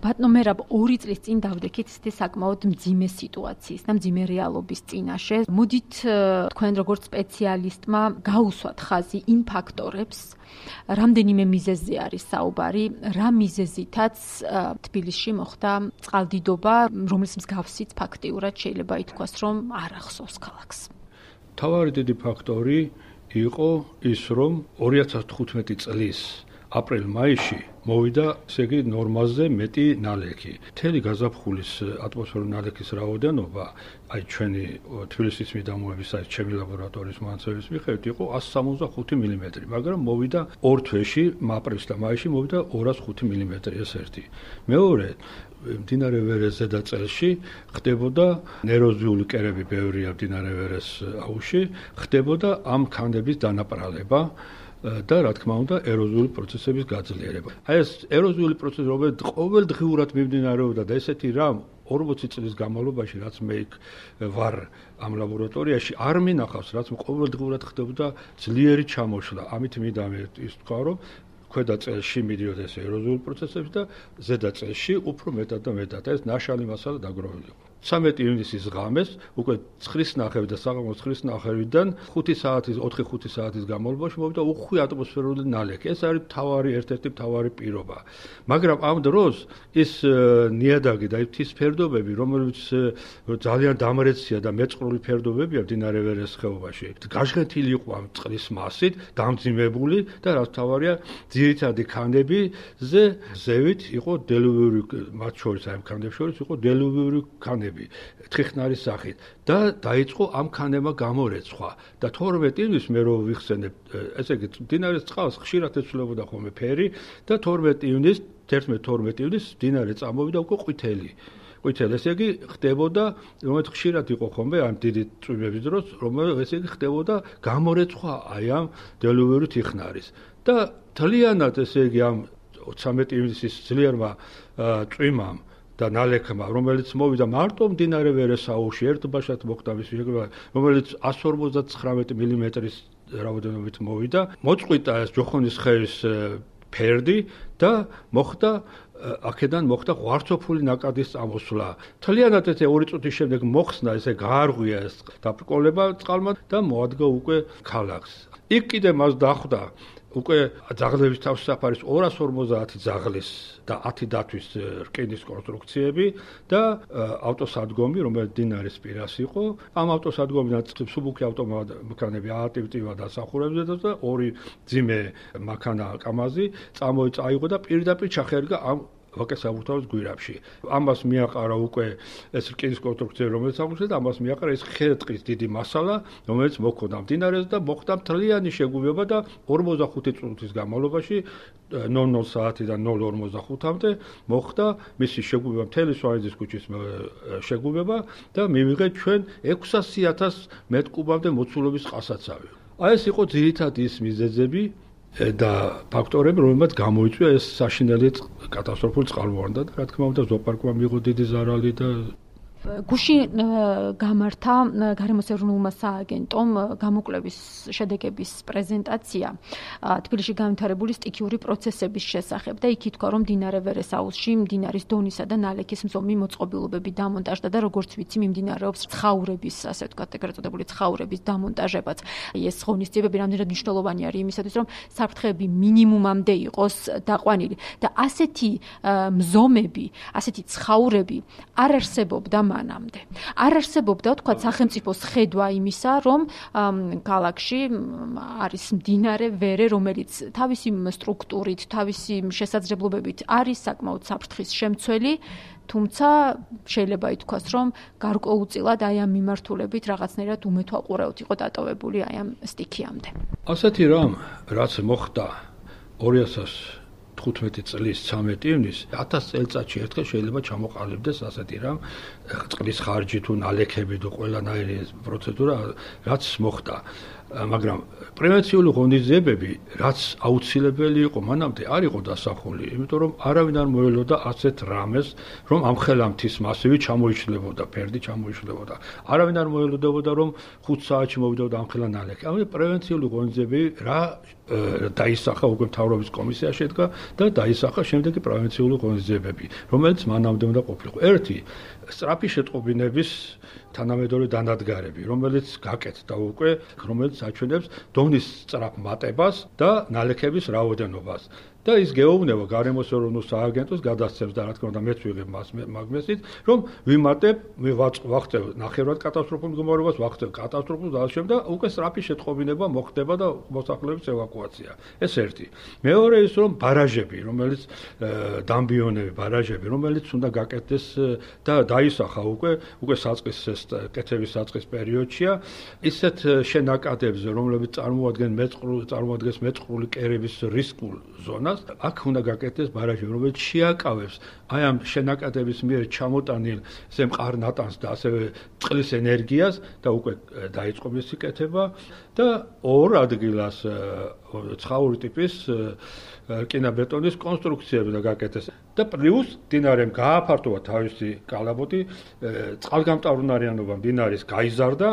ბატონო მერაბ 2 წლის წინ დავდექით ისეთი საკმაოდ მძიმე სიტუაციის და მძიმე რეალობის წინაშე. მოდით თქვენ როგორც სპეციალისტმა გაუსვათ ხაზი იმ ფაქტორებს, რამდენიმე მიზეზზე არის საუბარი, რა მიზეზითაც თბილისში მოხდა წყალდიდობა, რომლის მსგავსიც ფაქტიურად შეიძლება ითქვას, რომ არ ახსოვს ქალაქს. თავარი დიდი ფაქტორი იყო ის, რომ 2015 წლის აპრილ-მაისში მოვიდა ესე იგი ნორმაზე მეტი ნალექი. მთელი გაზაფხულის ატმოსფერული ნალექის რაოდენობა, აი ჩვენი თბილისის მიდამოების აი ჩემი ლაბორატორიის მონაცემების მიხედვით იყო 165 მმ, მაგრამ მოვიდა 2 თვეში, აპრილში და მაისში მოვიდა 205 მმ ეს ერთი. მეორე მდინარე ვერეს ზედაწელში ხდებოდა ეროზიული კერები ბევრია მდინარე ვერეს აუზში, ხდებოდა ამ ქანების დანაპრალება და რა თქმა უნდა ეროზიული პროცესების გაძლიერება. აი ეს ეროზიული პროცესი რომელიც ყოველდღიურად მიმდინარეობდა და ესეთი რამ 40 წლის განმავლობაში რაც მე ვარ ამ ლაბორატორიაში არ მინახავს, რაც ყოველდღიურად ხდებოდა ძლიერი ჩამოშლა. ამით მინდა ის თქვა, რომ ქვედა წელში მიდიოდა ეს ეროზიული პროცესები და ზედა წელში უფრო მეტად და მეტად. ეს ნაშალი მასალა დაგროვილი იყო. 13 ივნისის ღამეს უკვე 9:30 და საღამოს 9:30-დან 4-5 საათის განმავლობაში მოვიდა უხვი ატმოსფერული ნალექი. ეს არის ერთ-ერთი მთავარი პირობა. მაგრამ ამ დროს ის ნიადაგი და მთის ფერდობები, რომელიც ძალიან დამრეცია და მეწყრული ფერდობებია მდინარე ვერეს ხეობაში, გაჟღენთილი იყო ამ წყლის მასით, დამძიმებული და რაც მთავარია, ძირითადი ქანებზე ზევით იყო დელუვიური, მათ შორის აი ამ ქანებს შორის იყო დელუვიური ქანები. თხიხნარის სახით და დაიწყო ამ ქანებმა გამორეცხვა და 12 ივნისს მე რო ვიხსენებ ესე იგი მდინარის წყალს ხშირად ეცვლებოდა ხოლმე ფერი და 12 ივნისს მდინარე წამოვიდა უკვე ყვითელი ესე იგი ხდებოდა რომელიც ხშირად იყო ხოლმე ამ დიდი წვიმების დროს რომელიც ესე იგი ხდებოდა გამორეცხვა აი ამ დელუვიური თიხნარის და თლიანად ესე იგი ამ 13 ივნისის ძლიერმა წვიმამ და ნალექმა, რომელიც მოვიდა მარტო მდინარე ვერეს აუზში, ერთბაშად მოხდა მის შეგროვება, რომელიც 159 მმ-ის რაოდენობით მოვიდა, მოწყვიტა ეს ჯოხონის ხევის ფერდი და მოხდა აქედან მოხდა ღვარცოფული ნაკადის წამოსვლა. თლიანად ეს 2 წუთის შემდეგ მოხსნა ესე გაარღვია ეს დაბრკოლება წყალმა და მოადგა უკვე ქალაქს. იქ კიდე მას დახვდა უკვე ძაღლების თავსაფარის 250 ძაღლის და 10 დათვის რკინის კონსტრუქციები და ავტოსადგომი, რომელიც დინარის პირას იყო. ამ ავტოსადგომიდან მსუბუქი ავტომანქანები აატივტივა დასახურებზე და 2 ძიმე მანქანა კამაზი წაიღო და პირდაპირ ჩახერგა ამ ვაკეს საბურთალოს გვირაბში. ამას მიაყარა უკვე ეს რკინის კონსტრუქცია, რომელიც აღმოჩნდა და ამას მიაყარა ეს ხე-ტყის დიდი მასალა, რომელიც მოქონდა მდინარეს და მოხდა მთლიანი შეგუება და 45 წუთის განმავლობაში 00 საათიდან 0:45-მდე მოხდა მისი შეგუება მთელი სვანეთის ქუჩის შეგუება და მივიღეთ ჩვენ 600,000 მ3-კუბამდე მოცულობის წყალსაცავი. აი ეს იყო ძირითადი ის მიზეზები და ფაქტორები, რომლებმაც გამოიწვია ეს საშინელი კატასტროფული წყალმოვარდნა და რა თქმა უნდა ზოოპარკმა მიიღო დიდი ზარალი და გუშინ გამართა გარემოს ეროვნულმა სააგენტომ გამოკვლევის შედეგების პრეზენტაცია თბილისში განვითარებული სტიქიური პროცესების შესახებ და იქ ითქვა, რომ მდინარე ვერეს აუზში მდინარის დონისა და ნალექის მზომი მოწყობილობები დამონტაჟდა და როგორც ვიცი, მიმდინარეობს ცხაურების, ასე ვთქვათ, ეგრეთ წოდებული ცხაურების დამონტაჟებაც. ეს ღონისძიებები რამდენად მნიშვნელოვანი არის იმისათვის, რომ საფრთხეები მინიმუმამდე იყოს დაყვანილი და ასეთი მზომები, ასეთი ცხაურები არ არსებობდა მანამდე. არ არსებობდა, თქვათ, სახელმწიფოს ხედვა იმისა, რომ ქალაქში არის მდინარე ვერე, რომელიც თავისი სტრუქტურით, თავისი შესაძლებლობებით არის საკმაოდ საფრთხის შემცველი, თუმცა შეიძლება ითქვას, რომ გარკვეულწილად აი ამ მიმართულებით რაღაცნაირად უმეთვალყურეოდ იყო დატოვებული აი ამ სტიქიამდე. ასეთი რამ, რაც მოხდა 2015 წლის 13 ივნისს 1000 წელიწადში ერთხელ შეიძლება ჩამოყალიბდეს ასეთი რამ, წყლის ხარჯი თუ ნალექები თუ ყველანაირი პროცედურა, რაც მოხდა. მაგრამ პრევენციული ღონისძიებები, რაც აუცილებელი იყო მანამდე, არ იყო დასახული, იმიტომ რომ არავინ არ მოელოდა ასეთ რამეს, რომ ამ ხელამთის მასივი ჩამოიშლებოდა, ფერდი ჩამოიშლებოდა. არავინ არ მოელოდებოდა, რომ 5 საათში მოვიდოდა ამ ხელა ნალექი. ამიტომ პრევენციული ღონისძიებები რა დაისახა უკვე მთავრობის კომისია შედგა და დაისახა შემდეგი პრევენციული ღონისძიებები, რომელიც მანამდე უნდა ყოფილიყო. ერთი სწრაფი შეტყობინების თანამედროვე დანადგარები, რომელიც გაკეთდა უკვე, რომელიც აჩვენებს დონის სწრაფ მატებას და ნალექების რაოდენობას. და ის გეუბნება გარემოს ეროვნულ სააგენტოს გადასცემს და რა თქმა უნდა მეც ვიღებ მაგმესით, რომ ვიმატებ, ვახდებ ნახევრად კატასტროფულ მდგომარეობას, ვახდებ კატასტროფულ და ამავდროულად და უკვე სწრაფი შეტყობინება მოხდება და მოსახლეობის ევაკუაცია. ეს ერთი. მეორე ის რომ ბარაჟები, რომელიც დამბიონები, ბარაჟები, რომელიც უნდა გაკეთდეს და დაისახა უკვე საწყის კეთების საწყის პერიოდშია, ისეთ შენაკადებზე, რომლებიც წარმოადგენს მეწყრული კერების რისკულ ზონას, აქ უნდა გაკეთდეს ბარაჟი, რომელიც შეაკავებს აი ამ შენაკადების მიერ ჩამოტანილ მყარ-ნატანს და ასევე წყლის ენერგიას და უკვე დაიწყო მისი კეთება და ორ ადგილას ცხაური ტიპის რკინა-ბეტონის კონსტრუქციები და გაკეთდეს და პლუს მდინარემ გააფართოვა თავისი კალაპოტი, წყალგამტავრუნარიანობა მდინარის გაიზარდა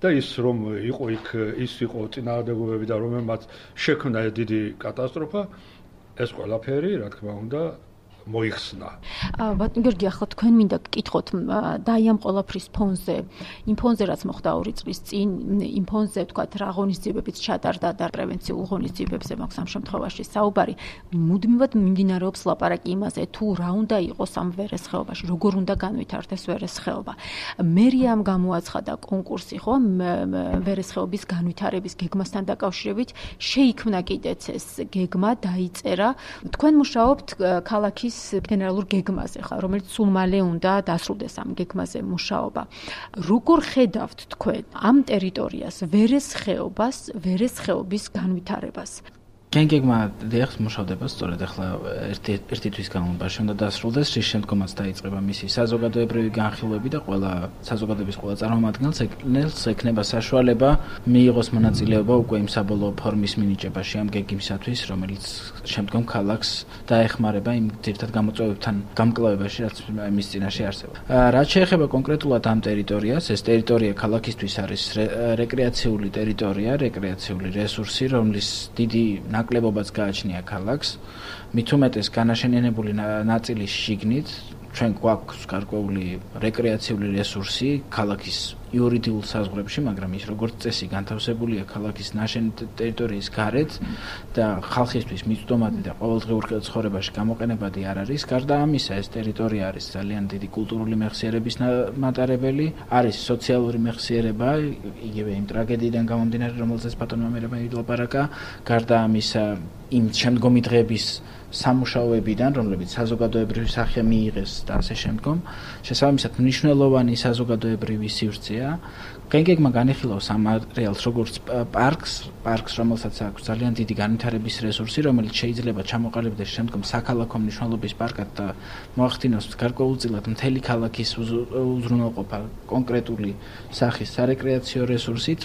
და ის რომ იყო იქ ის იყო წინააღმდეგობები და რომელმაც შექმნა დიდი კატასტროფა, ეს ყველაფერი, რა თქმა უნდა, მოიხსნა. ბატონ გიორგი, ახლა თქვენ მინდა გკითხოთ და აი ამ ყველაფრის ფონზე, იმ ფონზე რაც მოხდა 2 წლის წინ, იმ ფონზე თქვათ რა ღონისძიებებიც ჩატარდა და პრევენციულ ღონისძიებებზე მაქვს ამ შემთხვევაში საუბარი, მუდმივად მიმდინარეობს ლაპარაკი იმაზე, თუ რა უნდა იყოს ამ ვერესხეობაში, როგორ უნდა განვითარდეს ვერესხეობა. მერიამ გამოაცხადა კონკურსი, ხო, ვერესხეობის განვითარების გეგმასთან დაკავშირებით, შეიქმნა კიდეც ეს გეგმა, დაიწერა. თქვენ მუშაობთ ქალაქის გენერალურ გეგმაზე, რომელიც სულ მალე უნდა დასრულდეს ამ გეგმაზე მუშაობა. როგორ ხედავთ თქვენ ამ ტერიტორიას, ვერესხეობის განვითარებას? გეგმა დიახ მუშავდება სწორედ ახლა ერთი თვის განმავლობაში უნდა დასრულდეს, რის შემდგომაც დაიწყება მისი საზოგადოებრივი განხილვები და ყველა საზოგადოების ყველა წარმომადგენელს ექნება საშუალება მიიღოს მონაწილეობა უკვე იმ საბოლოო ფორმის მინიჭებაში ამ გეგმისათვის, რომელიც შემდგომ ქალაქს დაეხმარება იმ ძირითად გამოწვევებთან გამკლავებაში, რაც მის წინაშე არსებობს. რაც შეეხება კონკრეტულად ამ ტერიტორიას, ეს ტერიტორია ქალაქისთვის არის რეკრეაციული ტერიტორია, რეკრეაციული რესურსი, რომლის დიდი ნაკლებობაც გააჩნია ქალაქს, მით უმეტეს განაშენიანებული ნაწილის შიგნით, ჩვენ გვაქვს გარკვეული რეკრეაციული რესურსი ქალაქის იურიდიულ საზღვრებში, მაგრამ ის როგორც წესი განთავსებულია ქალაქის ნაშენი ტერიტორიის გარეთ და ხალხისთვის მიწვდომადი და ყოველდღიურ ცხოვრებაში გამოყენებადი არ არის. გარდა ამისა, ეს ტერიტორია არის ძალიან დიდი კულტურული მეხსიერების მატარებელი, არის სოციალური მეხსიერება, იგივე იმ ტრაგედიიდან გამომდინარე, რომელზეც ბატონმა მერაბა ილაპარაკა. გარდა ამისა, იმ შემდგომი დღეების სამუშაოებიდან, რომლებიც საზოგადოებრივი სახე მიიღეს და ასე შემდგომ, შესაბამისად მნიშვნელოვანი საზოგადოებრივი სივრცეა. გეგმა განიხილავს ამ არეალს როგორც პარკს, რომელსაც აქვს ძალიან დიდი განვითარების რესურსი, რომელიც შეიძლება ჩამოყალიბდეს შემდგომ საქალაქო მნიშვნელობის პარკად და მოახდინოს გარკვეულწილად მთელი ქალაქის უზრუნველყოფა კონკრეტული სახის სარეკრეაციო რესურსით,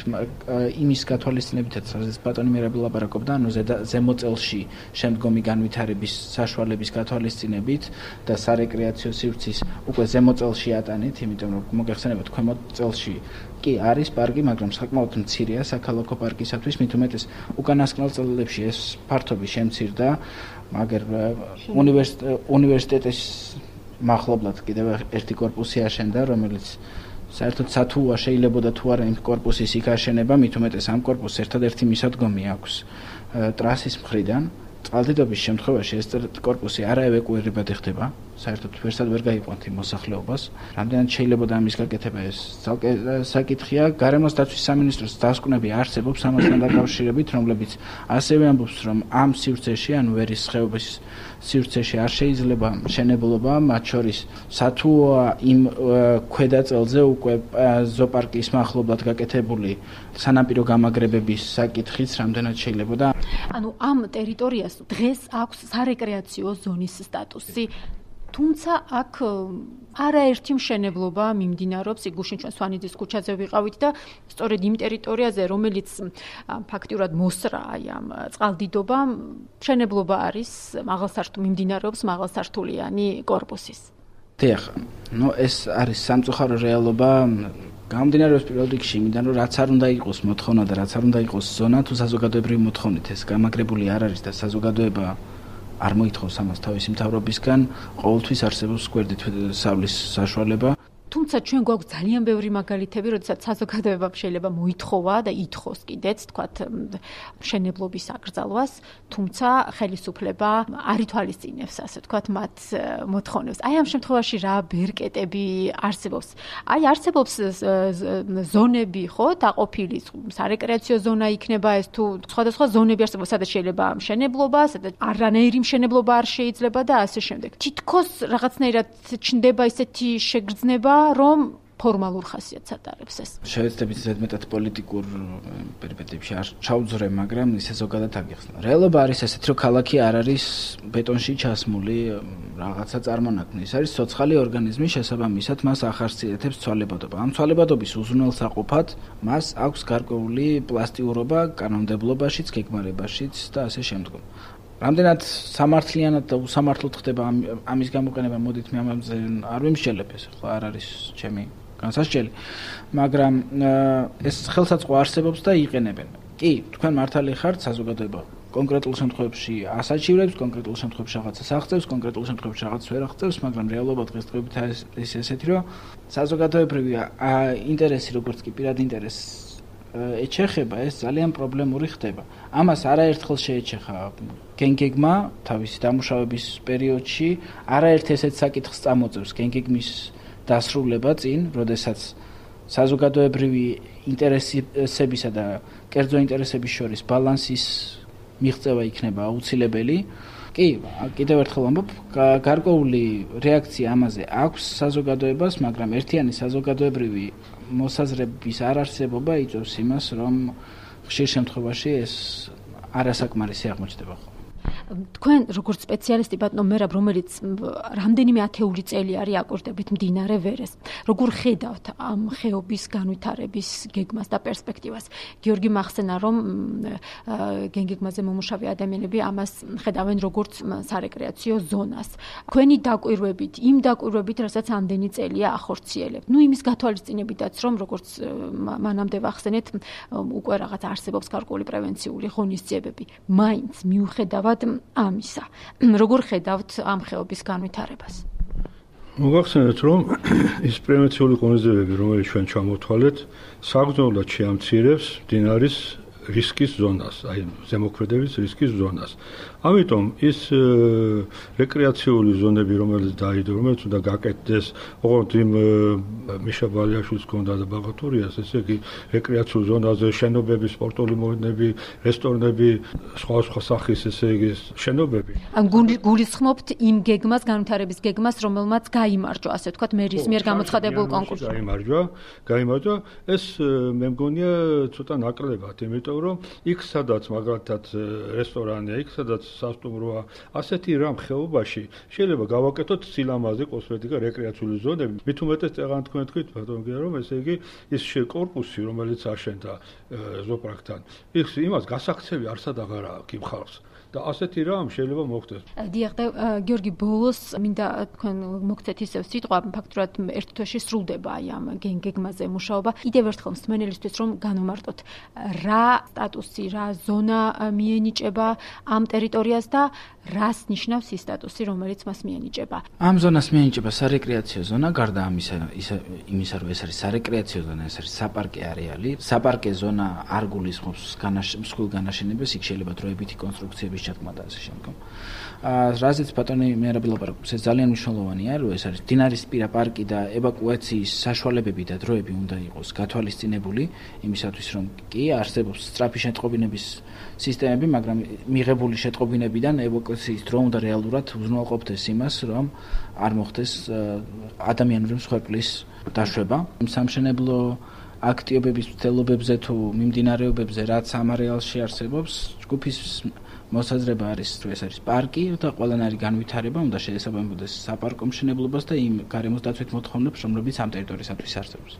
იმის გათვალისწინებითაც, სადაც ბატონი მერაბი ლაპარაკობდა, ანუ ზემოწელში შემდგომი განვითარების საშუალების გათვალისწინებით და სარეკრეაციო სივრცის უკვე ზემოწელში ატანით, იმიტომ რომ მოგეხსენებათ ქვემოთ წელში კი არის პარკი, მაგრამ საკმაოდ მცირეა საქალაქო პარკისათვის, მით უმეტეს უკანასკნელ წლებში ეს ფართობი შემცირდა, მაგრამ უნივერსიტეტის მახლობლად კიდევ ერთი კორპუსი აშენდა, რომელიც საერთოდ სათუა შეიძლებოდა თუ არა იმ კორპუსის იქ აშენება, მით უმეტეს ამ კორპუსს ერთადერთი მისადგომი აქვს ტრასის მხრიდან. წყალდიდობის შემთხვევაში ეს კორპუსი არაევაკუირებადი ხდება, საერთოდ ვერსად ვერ გაიყვანთ იმ მოსახლეობას. რამდენად შეიძლება ამის გაკეთება, ეს ცალკე საკითხია. გარემოს დაცვის სამინისტროს დასკვნები არსებობს ამასთან დაკავშირებით, რომლებიც ასევე ამბობს, რომ ამ სივრცეში, ანუ ვერესხეობის სივრცეში არ შეიძლება მშენებლობა, მათ შორის სათუა იმ ქვედა წელზე უკვე ზოოპარკის მახლობლად გაკეთებული სანაპირო გამაგრებების საკითხიც რამდენად შეიძლება. ანუ ამ ტერიტორიას დღეს აქვს სარეკრეაციო ზონის სტატუსი. თუმცა აქ არაერთი მშენებლობა მიმდინარეობს. იგუშინ ჩვენ სვანიძის ქუჩაზე ვიყავით და სწორედ იმ ტერიტორიაზე, რომელიც ფაქტიურად მოსრა ამ წყალდიდობამ, მშენებლობა არის მიმდინარეობს მაღალსართულიანი კორპუსის. დიახ, ეს არის სამწუხარო რეალობა. გამომდინარეობს პირველ რიგში იმიდან, რომ რაც არ უნდა იყოს მოთხოვნა და რაც არ უნდა იყოს ზონა, თუ საზოგადოებრივი მოთხოვნით ეს გამაგრებული არ არის და საზოგადოება არ მოითხოვს ამას თავისი მთავრობისგან, ყოველთვის არსებობს გვერდით სავლის საშუალება. თუმცა ჩვენ გვაქვს ძალიან ბევრი მაგალითები, როდესაც საზოგადოებამ შეიძლება მოითხოვა და ითხოვს კიდეც, თქვათ, მშენებლობის აკრძალვას, თუმცა ხელისუფლება არ ითვალისწინებს, ასე თქვათ, მათ მოთხოვნებს. აი ამ შემთხვევაში რა ბერკეტები არსებობს? აი არსებობს ზონები, ხო, დაყოფილი, სარეკრეაციო ზონა იქნება ეს თუ სხვადასხვა ზონები არსებობს, სადაც შეიძლება მშენებლობა, სადაც არანაირი მშენებლობა არ შეიძლება და ასე შემდეგ. თითქოს რაღაცნაირად ჩნდება ისეთი შეგრძნება, რომ ფორმალურ ხასიათს ატარებს ეს. შევეცდებით ზედმეტად პოლიტიკურ პერიპეტიებში არ ჩავძრე, მაგრამ ისე ზოგადად აგიხსნა. რეალობა არის ესეთი, რომ ქალაქი არ არის ბეტონში ჩასმული რაღაცა წარმონაქმნი. ეს არის ცოცხალი ორგანიზმი, შესაბამისად მას ახასიათებს ცვალებადობა. ამ ცვალებადობის უზრუნველსაყოფად მას აქვს გარკვეული პლასტიურობა კანონმდებლობაშიც, გეგმარებაშიც და ასე შემდგომ. რამდენად სამართლიანად და უსამართლოდ ხდება ამის გამოყენება, მოდით მე ამაზე არ ვიმსჯელებ, ეს ხო არ არის ჩემი განსასჯელი, მაგრამ ეს ხელსაწყო არსებობს და იყენებენ. კი, თქვენ მართალი ხართ, საზოგადოება კონკრეტულ შემთხვევებში ასაჩივრებს, კონკრეტულ შემთხვევებში რაღაცას აღწევს, კონკრეტულ შემთხვევებში რაღაცას ვერ აღწევს, მაგრამ რეალობა დღესდღეობით არის ესეთი, რომ საზოგადოებრივი ინტერესი, როგორც კი პირადი ინტერესი ეჩეხება, ეს ძალიან პრობლემური ხდება. ამას არაერთხელ შეეჩეხა გენგეგმა თავისი დამუშავების პერიოდში, არაერთ ესეთ საკითხს წამოწევს გენგეგმის დასრულება წინ, როდესაც საზოგადოებრივი ინტერესებისა და კერძო ინტერესების შორის ბალანსის მიღწევა იქნება აუცილებელი. კი, კიდევ ერთხელ ვამბობ, გარკვეული რეაქცია ამაზე აქვს საზოგადოებას, მაგრამ ერთიანი საზოგადოებრივი მოსაზრების არარსებობა იწვევს იმას, რომ ხშირ შემთხვევაში ეს არასაკმარისი აღმოჩნდება. თქვენ როგორც სპეციალისტი ბატონო მერაბ, რომელიც რამდენიმე ათეული წელი არის აკვირდებით მდინარე ვერეს, როგორ ხედავთ ამ ხეობის განვითარების გეგმას და პერსპექტივას? გიორგი მახსენა, რომ გენგეგმაზე მომუშავე ადამიანები ამას ხედავენ როგორც სარეკრეაციო ზონას. თქვენი დაკვირვებით, იმ დაკვირვებით, რასაც ამდენი წელია ახორციელებთ. იმის გათვალისწინებითაც, რომ როგორც მანამდე ვახსენეთ, უკვე რაღაც არსებობს გარკვეული პრევენციული ღონისძიებები. მაინც მიუხედავად ამისა, როგორ ხედავთ ამ ხეობის განვითარებას? მოგახსენეთ, რომ ის პრევენციული ღონისძიებები, რომელიც ჩვენ ჩამოვთვალეთ, საგრძნობლად შეამცირებს მდინარის რისკის ზონას, აი ზემოქმედების რისკის ზონას. ამიტომ ის რეკრეაციული ზონები, რომელიც დაიდო, რომელიც უნდა გაკეთდეს, ოღონდ იმ მიშა ბალიაშვილის ქონდა და ბაღათურიას, ესე იგი რეკრეაციულ ზონაზე შენობები, სპორტული მოედნები, რესტორნები, სხვა სახის, ესე იგი შენობები. გულისხმობთ იმ გეგმას, განვითარების გეგმას, რომელმაც გაიმარჯვა, ასე ვთქვათ, მერის მიერ გამოცხადებულ კონკურსში. გაიმარჯვა. ეს მე მგონია ცოტა ნაკლებად, იმიტომ რომ იქ სადაც მაგალითად რესტორანია, იქ სადაც სასტუმროა, ასეთი რამ ხეობაში შეიძლება გავაკეთოთ სილამაზე, კოსმეტიკა, რეკრეაციული ზონები. მით უმეტეს წეგან თქვენ თქვით, ბატონო გია, რომ ესე იგი ის კორპუსი, რომელიც აშენდა ზოპრაკთან, იმას გასაქცევი არსად აღარ აქვს იმ ხალხს. და ასეთი რამ შეიძლება მოხდეს. დიახ, და გიორგი, ბოლოს მინდა თქვენ მოგცეთ ისევ სიტყვა, ფაქტურად ერთ თვეში სრულდება აი ამ გენგეგმაზე მუშაობა. კიდევ ერთხელ მსმენელისთვის რომ განვმარტოთ, რა სტატუსი, რა ზონა მიენიჭება ამ ტერიტორიას და რას ნიშნავს ის სტატუსი, რომელიც მას მიენიჭება? ამ ზონას მიენიჭება სარეკრეაციო ზონა, გარდა იმისა, რომ ეს არის სარეკრეაციო ზონა, ეს არის საპარკე არეალი. საპარკე ზონა არ გულისხმობს მსხვილ განაშენებას, იქ შეიძლება დროებითი კონსტრუქციების ჩატმა და ასე შემდგომ. რაზეც ბატონი მერაბი ლაპარაკობს, ეს ძალიან მნიშვნელოვანია, რომ ეს არის მდინარისპირა პარკი და ევაკუაციის საშუალებები და დროები უნდა იყოს გათვალისწინებული, იმისათვის რომ კი არსებობს სწრაფი შეტყობინების სისტემები, მაგრამ მიღებული შეტყობინებიდან ევაკუაციის დრო უნდა რეალურად უზრუნველყოფდეს იმას, რომ არ მოხდეს ადამიანური მსხვერპლის დაშვება. სამშენებლო აქტივობების მცდელობებზე თუ მიმდინარეობებზე, რაც ამ არეალში არსებობს, ჯგუფის მოსაზრება არის, რომ ეს არის პარკი და ყველანაირი განვითარება უნდა შეესაბამებოდეს საპარკო მშენებლობას და იმ გარემოს დაცვით მოთხოვნებს, რომლებიც ამ ტერიტორიისათვის არსებობს.